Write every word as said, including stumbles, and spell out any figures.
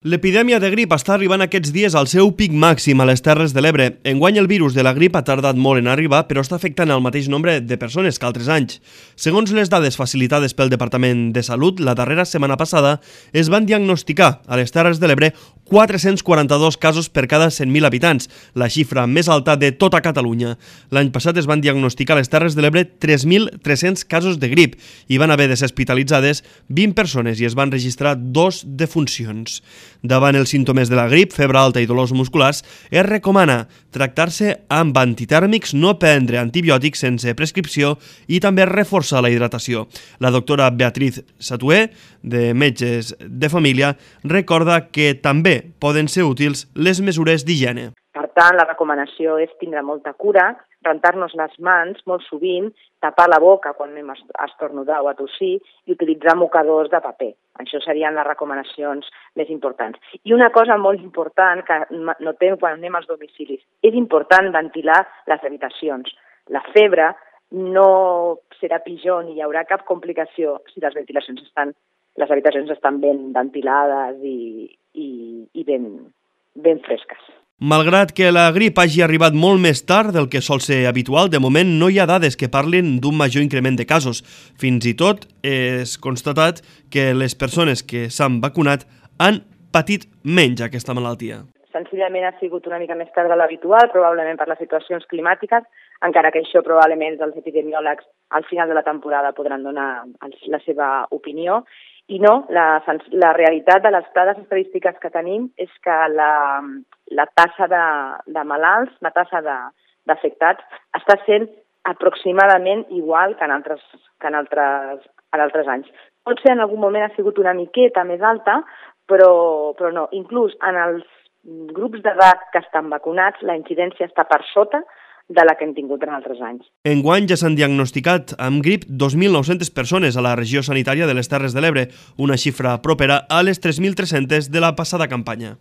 L'epidèmia de grip està arribant aquests dies al seu pic màxim a les Terres de l'Ebre. Enguany el virus de la grip ha tardat molt en arribar, però està afectant el mateix nombre de persones que altres anys. Segons les dades facilitades pel Departament de Salut, la darrera setmana passada es van diagnosticar a les Terres de l'Ebre quatre-cents quaranta-dos casos per cada cent mil habitants, la xifra més alta de tota Catalunya. L'any passat es van diagnosticar a les Terres de l'Ebre tres mil tres-cents casos de grip i van haver de ser hospitalitzades vint persones i es van registrar dos defuncions. Davant els símptomes de la grip, febre alta i dolors musculars, es recomana tractar-se amb antitèrmics, no prendre antibiòtics sense prescripció i també reforçar la hidratació. La doctora Beatriz Satué, de Metges de Família, recorda que també poden ser útils les mesures d'higiene. Per tant, la recomanació és tindre molta cura, rentar-nos les mans molt sovint, tapar la boca quan anem a estornudar o a tossir i utilitzar mocadors de paper. Això serien les recomanacions més importants. I una cosa molt important que notem quan anem als domicilis, és important ventilar les habitacions. La febre no serà pitjor ni hi haurà cap complicació si les ventilacions estan, les habitacions estan ben ventilades i, i, i ben, ben fresques. Malgrat que la grip hagi arribat molt més tard del que sol ser habitual, de moment no hi ha dades que parlin d'un major increment de casos. Fins i tot és constatat que les persones que s'han vacunat han patit menys aquesta malaltia. Senzillament ha sigut una mica més tard de l'habitual, probablement per les situacions climàtiques, encara que això probablement els epidemiòlegs al final de la temporada podran donar la seva opinió. I no, la, la realitat de les dades estadístiques que tenim és que la, la tassa de, de malalts, la tassa d'afectats, està sent aproximadament igual que en altres, que en altres, en altres anys. Potser en algun moment ha sigut una miqueta més alta, però, però no. Inclús en els grups d'edat que estan vacunats, la incidència està per sota de la que hem tingut en altres anys. Enguany ja s'han diagnosticat amb grip dos mil nou-centes persones a la regió sanitària de les Terres de l'Ebre, una xifra propera a les tres mil tres-centes de la passada campanya.